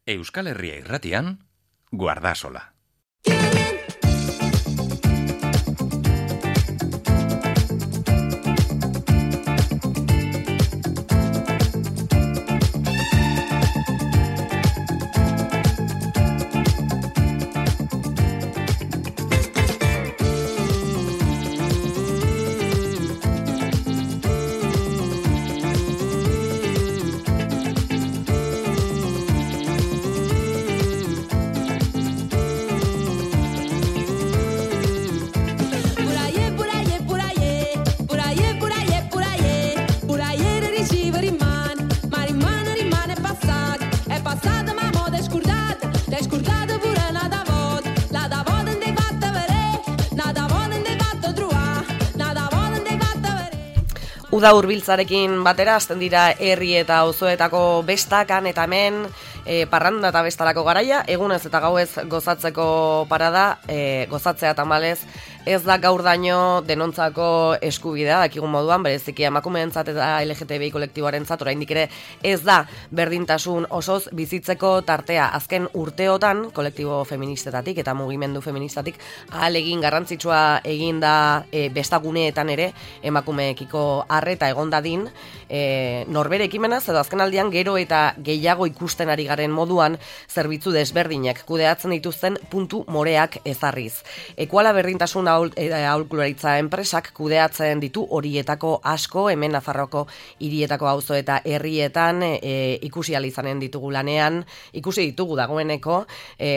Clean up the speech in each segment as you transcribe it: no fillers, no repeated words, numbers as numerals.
Euskal Herria Irratian, Guardasola. Uda hurbiltzarekin batera hasten dira herri eta auzoetako bestakan eta hemen parranda eta bestalako garaia, egunez eta gauez gozatzeko parada, gozatzea tamalez, ez da gaur daño denontzako eskubidea, dakigun moduan, bereziki emakumeentzat eta LGTBI kolektiboarentzat oraindik ere ez da berdintasun osoz bizitzeko tartea. Azken urteotan, kolektibo feministetatik eta mugimendu feministatik ahalegin garrantzitsua egin da bestaguneetan ere emakumeekiko arreta egon dadin, norbere ekimenaz edo azken aldian gero eta gehiago ikusten ari garen moduan zerbitzu desberdinak kudeatzen dituzten puntu moreak ezarriz. Ekuala berdintasun aholkularitza enpresak kudeatzen ditu horietako asko, hemen Nafarroako hirietako auzo eta herrietan ikusi ahal izanen ditugu lanean, ikusi ditugu dagoeneko,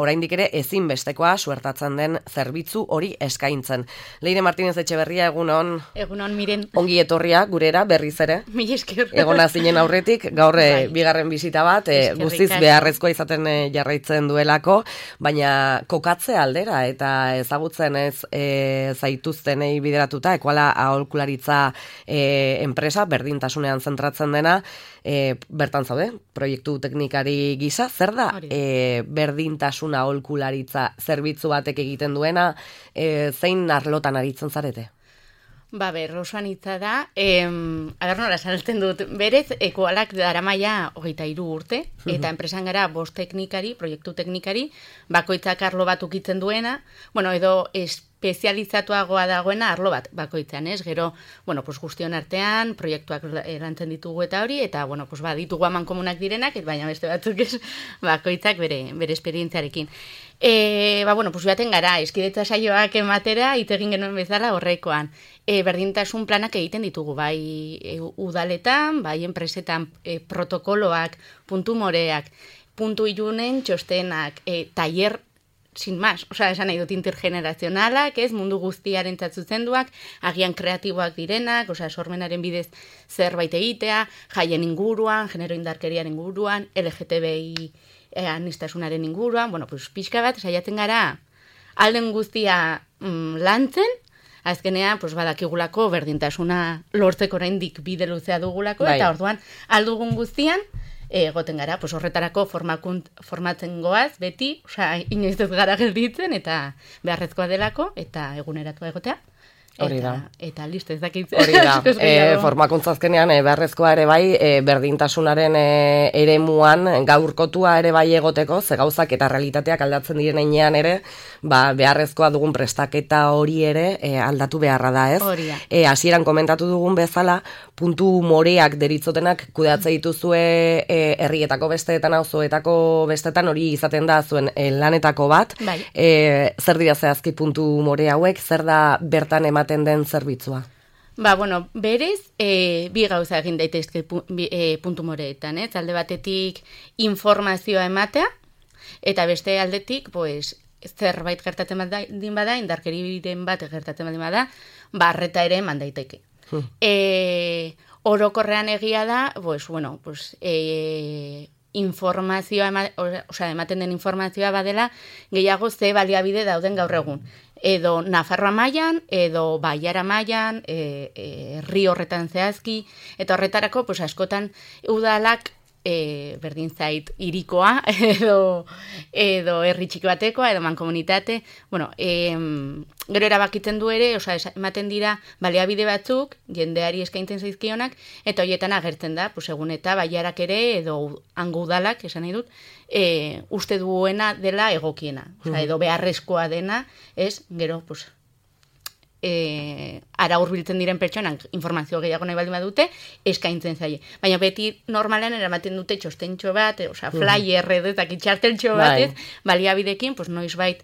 oraindik ere ezinbestekoa suertatzen den zerbitzu hori eskaintzen. Leire Martínez Etxeberria, egunon. Egunon, Miren. Ongi etorria gurera berriz ere. Mila esker. Egona zinen aurretik, gaur bigarren bisita bat, guztiz beharrezkoa izaten jarraitzen duelako, baina kokatze aldera eta ezagutzen ez zaituztenei bideratuta, ekuala aholkularitza enpresa, berdintasunean zentratzen dena, bertan zaude, proiektu teknikari gisa, zer da berdintasun aholkularitza zerbitzu batek egiten duena, zein arlotan aritzen zarete? Rosuan hitza da, agar nola salten dut, berez, ekualak daramaia 23 urte, eta enpresan gara 5 teknikari, proiektu teknikari, bakoitzak arlo bat ukitzen duena, edo espezializatuagoa dagoena arlo bat bakoitzean, ez? Gero, guztion artean, proiektuak erantzen ditugu eta hori, eta, ditugu amankomunak direnak, baina beste batzuk ez, bakoitzak bere esperientziarekin. Joaten gara, eskidetza saioak ematera, itegin genuen bezala horrekoan. Berdintasun planak egiten ditugu, bai udaletan, bai enpresetan, protokoloak, puntu moreak, puntu ilunen txostenak, tailer, sin más, esan nahi dut intergenerazionalak, ez, mundu guztiaren zuzenduak, agian kreatiboak direnak, sormenaren bidez zerbait egitea, jaien inguruan, genero indarkeriaren inguruan, LGTBI anistasunaren inguruan, pixka bat, saiatzen gara, alden guztia lantzen, azkenean, badakigulako berdintasuna lortzeko oraindik bide luzea dugulako, eta orduan, aldugun guztian, egoten gara, horretarako formatzen goaz, beti, inoiz ez gara gelditzen, eta beharrezkoa delako, eta eguneratu egotea. Hori da. Eta listo, ez dakit. Hori da. Formakuntza azkenean beharrezkoa ere bai, berdintasunaren eremuan gaurkotua ere bai egoteko, ze gauzak eta realitateak aldatzen diren heinean ere, beharrezkoa dugun prestaketa hori ere aldatu beharra da, ez? Hori da. Hasieran komentatu dugun bezala, puntu moreak deritzotenak kudeatze dituzue herrietako besteetan, auzoetako besteetan, hori izaten da zuen lanetako bat. Bai. Zer dira zehazki puntu more hauek, zer da bertan ematen den zerbitzua? Berez, bi gauza egin daitezke puntu moreetan, alde batetik informazioa ematea, eta beste aldetik, zerbait gertatzen baldin bada, indarkeriren bat gertatzen baldin bada, arreta ere eman daiteke. Orokorrean egia da, informazioa, ematen den informazioa badela, gehiago ze baliabide dauden gaur egun. Edo Nafarroa mailan, edo Baiara mailan, herri horretan zehazki, eta horretarako, askotan udalak berdin zait irikoa, edo herri txiki batekoa, edo mankomunitate. Bueno, gero erabakitzen du ere, osea, ematen dira baliabide batzuk, jendeari eskaintzen zaizkionak, eta horietan agertzen da, pues, egun eta baiarak ere, edo hango udalak, esan nahi dut, uste duena dela egokiena, osea, edo beharrezkoa dena, gero, pues, ara hurbiltzen diren pertsonak informazio gehiago nahi baldin badute, eskaintzen zaie. Baina beti normalean eramaten dute txostentxo bat, osea, flyer edo txarteltxo bat, baliabidekin, pues noizbait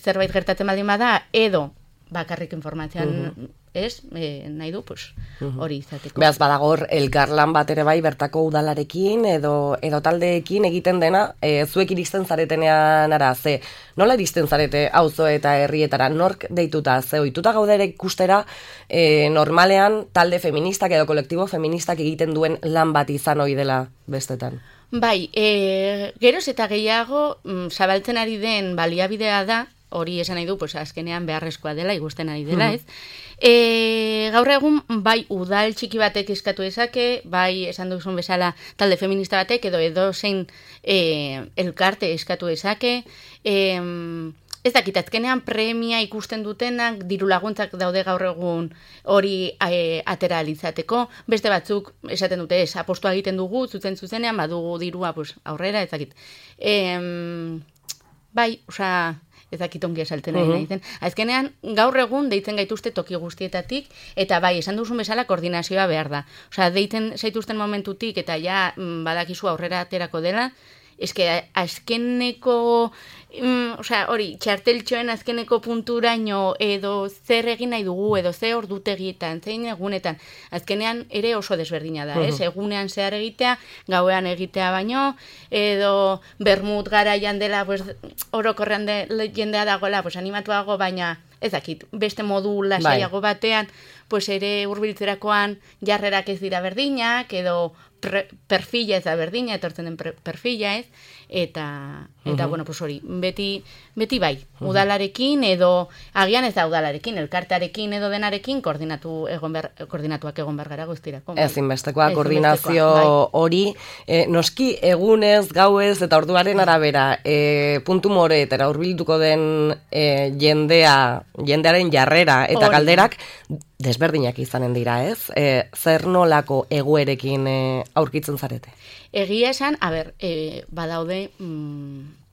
zerbait gertatzen baldin bada, edo bakarrik informazioan nahi du, pues, hori izateko. Beaz, badagor, elkarlan bat ere bai bertako udalarekin edo taldeekin egiten dena, zuek iristen zaretenean ara, nola iristen zarete auzo eta herrietara, nork deituta, ohituta gaude ere ikustera, normalean talde feministak edo kolektibo feministak egiten duen lan bat izan ohi dela bestetan. Bai, geroz eta gehiago zabaltzen ari den baliabidea da, hori esan nahi du, pues, azkenean beharrezkoa dela, igusten ari dela, ez? Gaur egun, bai udal txiki batek eskatu dezake, bai esan duzun bezala talde feminista batek, edo zein elkarte eskatu dezake, ez dakit, azkenean premia ikusten dutenak, diru laguntzak daude gaur egun hori atera alizateko, beste batzuk esaten dute apostua egiten dugu, zuzenean, badugu dirua pues, aurrera, ez dakit. Bai, osea, ez dakit ongi esalten ari nahi zen. Azkenean, gaur egun deitzen gaituzte toki guztietatik, eta bai, esan duzun bezala koordinazioa behar da. Osea, deiten zaituzten momentutik, eta ja badakizu aurrera aterako dela, eske azkeneko, hori, txarteltxoen azkeneko punturaino edo zer egin nahi dugu, edo ze ordutegietan, zein egunetan, azkenean ere oso desberdina da, egunean zehar egitea, gauean egitea baino, edo bermut garaian dela, pues, orokorrean jendea dagoela, pues, animatuago, baina ez dakit, beste modu lasaiago batean, pues, ere hurbiltzerakoan jarrerak ez dira berdinak, edo perfila ez da berdina, etortzen den perfila ez, eta bueno, pues hori, beti bai, udalarekin edo, agian ez da udalarekin, elkartearekin edo denarekin, koordinatuak egon behar gara guztirako. Ezinbestekoa koordinazio hori, noski egunez, gauez eta orduaren arabera, puntu moretara hurbilduko den jendearen jarrera eta galderak, desberdinak izanen dira, ez? Zer nolako egoerekin aurkitzen zarete? Egia esan, badaude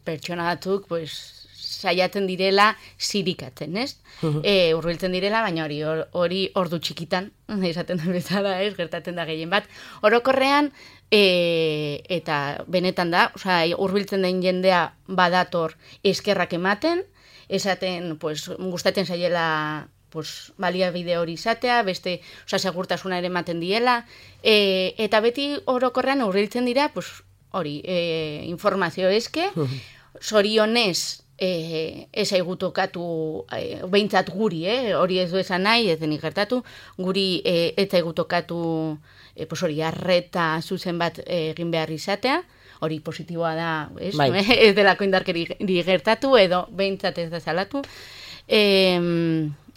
pertsona batzuk, pues, saiatzen direla zirikatzen, ez? Hurbiltzen direla, baina hori ordu txikitan, esaten da bezala, ez? Gertatzen da gehien bat. Orokorrean, eta benetan da, hurbiltzen den jendea badator eskerrak ematen, esaten, pues, gustatzen zaiela pues, baliabide hori izatea, beste, segurtasuna ere ematen diela, eta beti orokorrean hurbiltzen dira, pues, hori, informazio eske, zorionez, ez aigu tokatu, behintzat guri, hori ez du esan nahi, ez denik gertatu, guri ez aigu tokatu, pues, hori, arreta zuzen bat egin behar izatea, hori positiboa da, ez? Bai. Ez delako indarkeri gertatu, edo behintzat ez da salatu,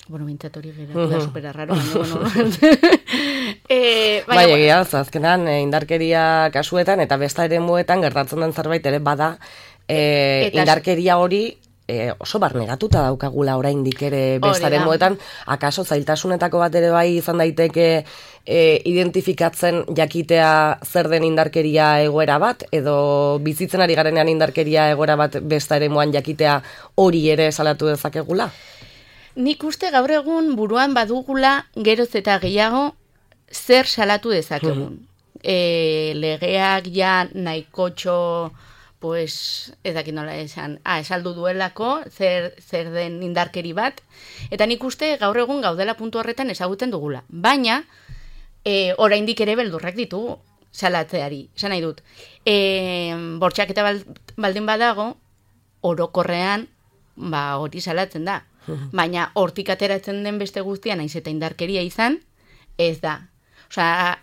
bueno, behintzat hori geratu da supera raro, bai, egia, azkenan indarkeria kasuetan eta besta ere muetan gertatzen den zerbait ere bada indarkeria hori oso barnegatuta daukagula oraindik ere bestaren muetan, akaso zailtasunetako bat ere bai izan daiteke identifikatzen jakitea zer den indarkeria egoera bat, edo bizitzen ari garenean indarkeria egoera bat besta ere muan jakitea hori ere salatu dezakegula? Nik uste gaur egun buruan badugula geroz eta gehiago zer salatu dezakegun. Legeak ja nahikotxo, pues, ez dakit nola esan, esaldu duelako, zer den indarkeri bat, eta nik uste gaur egun gaudela puntu horretan ezaguten dugula. Baina, oraindik ere beldurrak ditugu salatzeari, esan nahi dut. Bortxaketa baldin badago, orokorrean, hori salatzen da. Baina hortik ateratzen den beste guztia naiz eta indarkeria izan, ez da. Osea,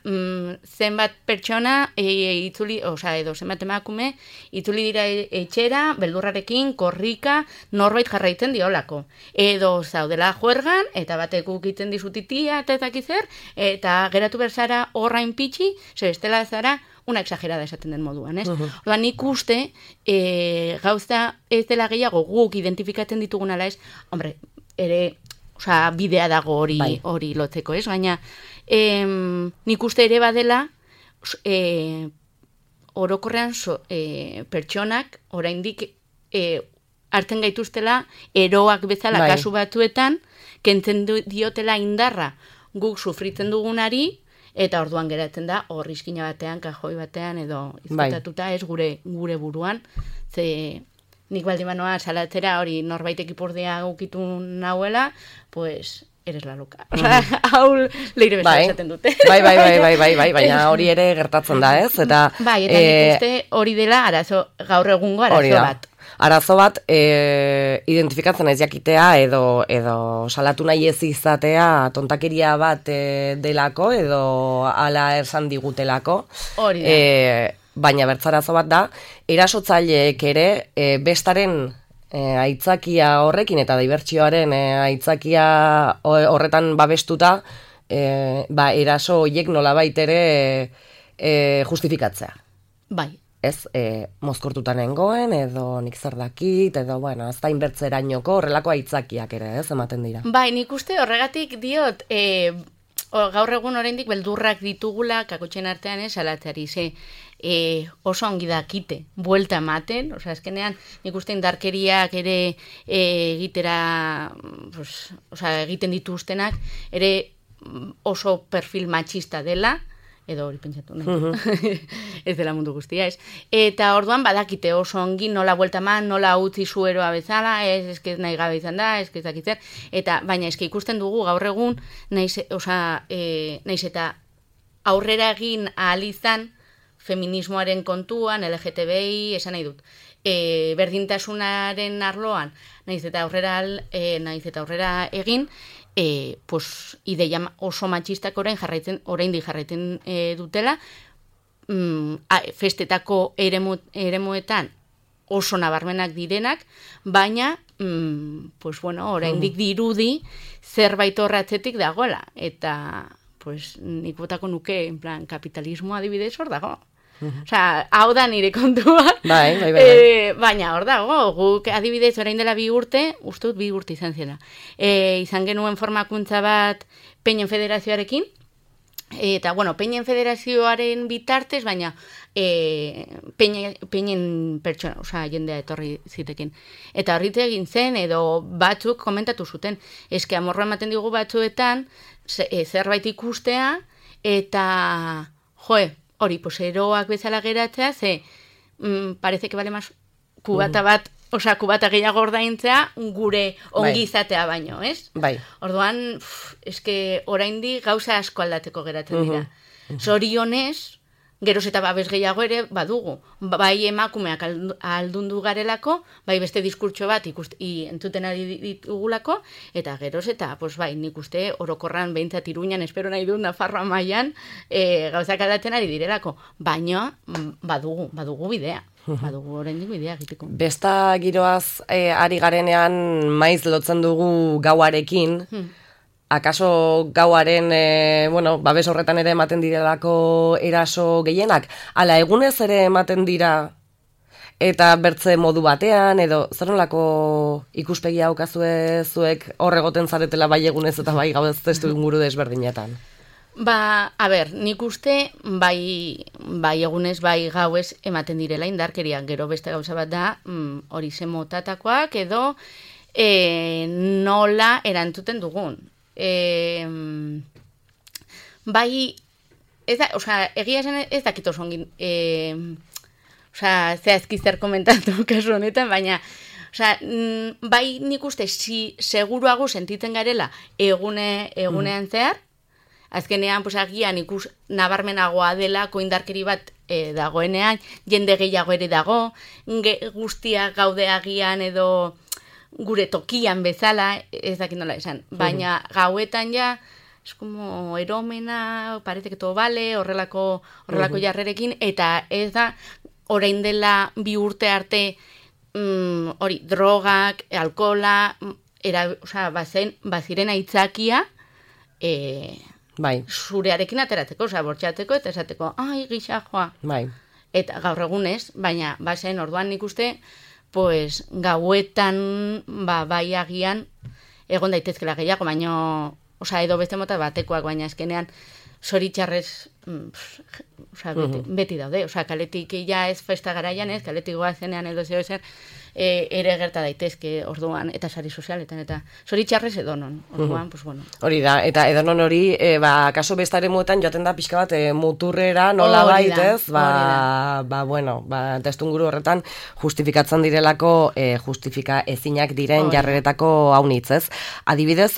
zenbat pertsona edo zenbat emakume itzuli dira etxera, beldurrarekin, korrika, norbait jarraitzen diolako. Edo zaudela juergan, eta batek ukitzen dizutitia, eta ezakizer, eta geratu berzara horrain pitxi, bestela zara una exagerada esaten den moduan, ez? Orduan, nik uste, gauza ez dela gehiago guk identifikatzen ditugun ala ez, hombre, ere, bidea dago hori lotzeko, ez? Baina, nik uste ere badela, orokorrean pertsonak oraindik hartzen gaituztela eroak bezala kasu batzuetan, kentzen diotela indarra guk sufritzen dugunari, eta orduan geratzen da horrizkina batean, kajoi batean, edo izkutatuta ez gure buruan, ze nik baldin banoa salatzera hori norbaitek ipurdea ukitu nahuela, pues eres la loca. Hau leire bezala esaten dute. Bai, baina hori ere gertatzen da, ez? Eta bai, eta nik uste hori dela gaur egungo arazo bat. Arazo bat, identifikatzen ez jakitea edo salatu nahi ez izatea tontakeria bat delako edo ala esan digutelako. Hori da. Baina bertzarazo bat da, erasotzaileek ere bestaren aitzakia horrekin eta dibertsioaren aitzakia horretan babestuta, eraso horiek nolabait ere justifikatzea. Bai. Ez, mozkortuta nengoen, edo nik zer dakit, edo, bueno, ez da inbertzerainoko horrelako aitzakiak ere, ez, ematen dira. Bai, nik uste horregatik diot, gaur egun oraindik beldurrak ditugula kakotxen artean salatzeari, oso ongi dakite, buelta ematen, azkenean nik uste indarkeriak ere egiten dituztenak, ere oso perfil matxista dela, edo hori pentsatu nahi, ez dela mundu guztia, ez. Eta orduan badakite oso ongi nola buelta eman, nola utzi zueroa bezala, ez nahi gabe izan da, ez dakitzer, eta baina eske ikusten dugu gaur egun, naiz eta aurrera egin ahal izan feminismoaren kontuan, LGTBI, esan nahi dut, berdintasunaren arloan, naiz eta aurrera egin, ideia oso matxistak oraindik jarraitzen dutela, festetako eremuetan oso nabarmenak direnak, baina, oraindik dirudi zerbait horratzetik dagoela, eta nik botako nuke, en plan, kapitalismo adibidez hor dago. Hau da nire kontua. Bai. Baina hor dago, guk adibidez orain dela 2 urte, uste dut 2 urte izan zela. Izan genuen formakuntza bat Peinen Federazioarekin, eta, Peinen Federazioaren bitartez, baina Peinen pertsona, jendea etorri zitekin. Eta horritze egin zen, edo batzuk komentatu zuten, eske amorroa ematen digu batzuetan, zerbait ikustea, eta, hori, eroak bezala geratzea, parece que vale más kubata bat, kubata gehiago ordaintzea, gure ongizatea baino, ez? Bai. Orduan, eske oraindik gauza asko aldatzeko geratzen dira. Zorionez, geroz eta babes gehiago ere badugu. Bai emakumeak aldundu garelako, bai beste diskurtso bat entzuten ari ditugulako, eta geroz eta, nik uste orokorran behintzat Iruñan, espero nahi dut Nafarroa mailan, gauzak aldatzen ari direlako. Baina, badugu bidea. Badugu oraindik bidea egiteko. Besta giroaz ari garenean maiz lotzen dugu gauarekin, akaso gauaren, babes horretan ere ematen direlako eraso gehienak, ala egunez ere ematen dira eta bertze modu batean, edo zer nolako ikuspegia haukazue zuek horregoten zaretela bai egunez eta bai gauz testu inguru desberdinetan? Nik uste bai egunez, bai gauez ematen direla indarkeria, gero beste gauza bat da, hori zemotatakoak edo nola erantzuten dugun. Egia esan ez dakit oso ongin, zehazki zer komentatu kasu honetan, baina, bai nik uste seguruago sentitzen garela egunean zehar, azkenean, agian ikus nabarmenagoa delako indarkeri bat dagoenean, jende gehiago ere dago, guztia gaude agian edo gure tokian bezala, ez dakit nola esan, baina gauetan ja, es como eromena, parece que todo vale, horrelako jarrerekin, eta ez da, orain dela 2 urte arte, hori, drogak, alkohola, baziren aitzakia, Bai. zurearekin ateratzeko, bortxatzeko, eta esateko, ai, gisa joa. Bai. Eta gaur egunez, baina bazen orduan nik uste, pues, gauetan, bai agian, egon daitezkela gehiago, baina, edo beste mota batekoak, baina azkenean, zoritxarrez, beti daude, kaletik ja ez festa garaian ez, kaletik goazenean edo zeo zer, ere gerta daitezke orduan, eta sari sozialetan, eta zoritxarrez edonon, orduan, pues bueno. Hori da, eta edonon hori, kaso bestare muetan joaten da pixka bat muturrera, nola baitez, bueno, testunguru horretan justifikatzen direlako, justifika ezinak diren jarreretako haunitz, ez? Adibidez,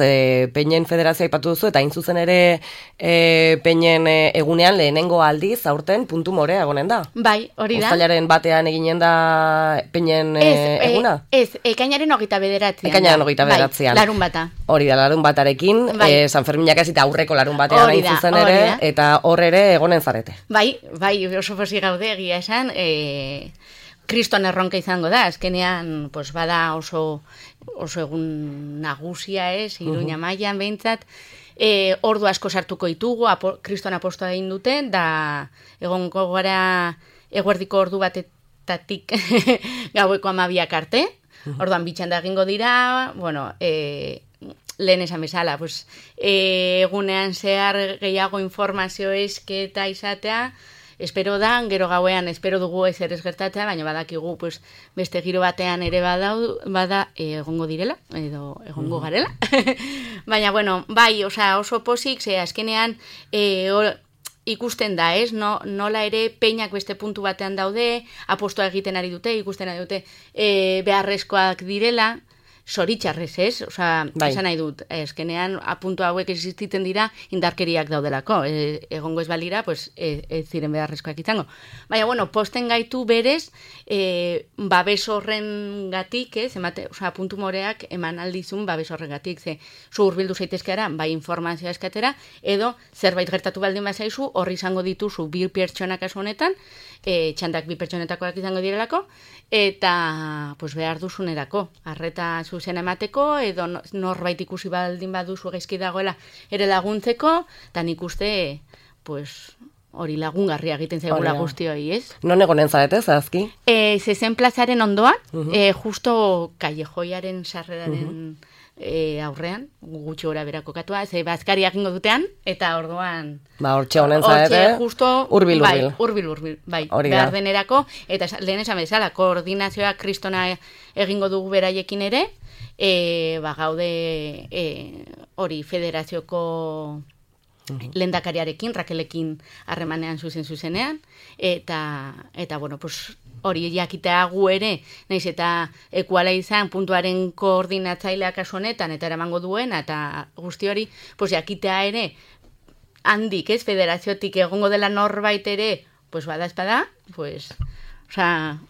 Peinen Federazioa aipatu duzu, eta hain zuzen ere Peinen egunean lehenengo aldiz, aurten puntu morea egonen da. Bai, hori da. Uztailaren batean eginen da Peinen eguna? Ez, ekainaren 29. Ekainaren 29. Bai, larun bata. Hori da, larun batarekin, San Ferminak ez eta aurreko larun batean hain zuzen ere, eta hor ere egonen zarete. Bai, oso posi gaude egia esan, kriston erronka izango da, azkenean, pues bada oso egun nagusia Iruña mailan behintzat, ordu asko sartuko ditugu, kriston apostoa egin dute, da egongo gara eguerdiko ordu batetatik gaueko 12 arte, orduan bitxanda egingo dira, bueno, lehen esan bezala, pues, egunean zehar gehiago informazio esketa izatea, espero da, gero gauean espero dugu ezer ez gertatzea, baina badakigu pues, beste giro batean ere bada egongo direla, edo egongo garela. Baina, bueno, bai, oso posik, ze azkenean ikusten da, ez? Nola ere peinak beste puntu batean daude, apostoa egiten ari dute, ikusten ari dute beharrezkoak direla, zoritxarrez, ez? Esan nahi dut, eskenean apuntu hauek existiten dira indarkeriak daudelako. Egongo ez balira, pues, ez ziren beharrezkoak izango. Baina, bueno, posten gaitu berez, babes horren gatik, ez? Puntu moreak eman aldizun babes horren gatik, ze zu hurbildu zaitezkeara, bai informazioa eskatera, edo zerbait gertatu baldin bazaizu, horri izango dituzu 2 pertsonak kasu honetan, txandak 2 pertsonetakoak izango direlako, eta pues, behar duzunerako, arreta zuzen emateko, edo norbait ikusi baldin baduzu gaizki dagoela ere laguntzeko, eta nik uste, pues, hori lagungarria egiten zaigula guztioi, ez? Non egonen zarete, zehazki? Zezen plazaren ondoan, justo Callejoiaren sarreraren aurrean, gutxi gora berako katua, ze bazkari egingo dutean, eta orduan... hortxe honen zarete, urbil. Bai, behar denerako, eta lehen esan bezala, koordinazioa kristona egingo dugu beraiekin ere, gaude hori federazioko lehendakariarekin, Rakelekin harremanean zuzenean, eta bueno, pues, hori jakitea gu ere, naiz eta ekuala izan puntuaren koordinatzaileak kasu honetan, eta eramango duena, eta guzti hori, pues, jakitea ere, handik, ez, federaziotik egongo dela norbait ere, pues, bada espada, pues...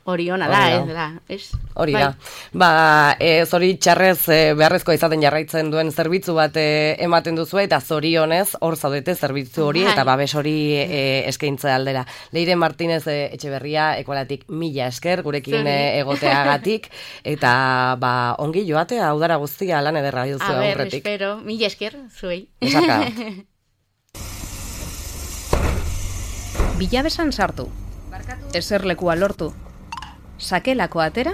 hori ona da, ez? Hori da. Zori txarrez beharrezkoa izaten jarraitzen duen zerbitzu bat ematen duzu, eta zorionez hor zaudete zerbitzu hori, eta babes hori eskaintze aldera. Leire Martínez Etxeberria, Ekualatik 1000 esker, gurekin egoteagatik, eta ongi joatea, udara guztia lan ederra duzu aurretik. Espero, 1000 esker, zuei. Esaka. Bilabesan sartu. Eserlekua lortu. Sakelako atera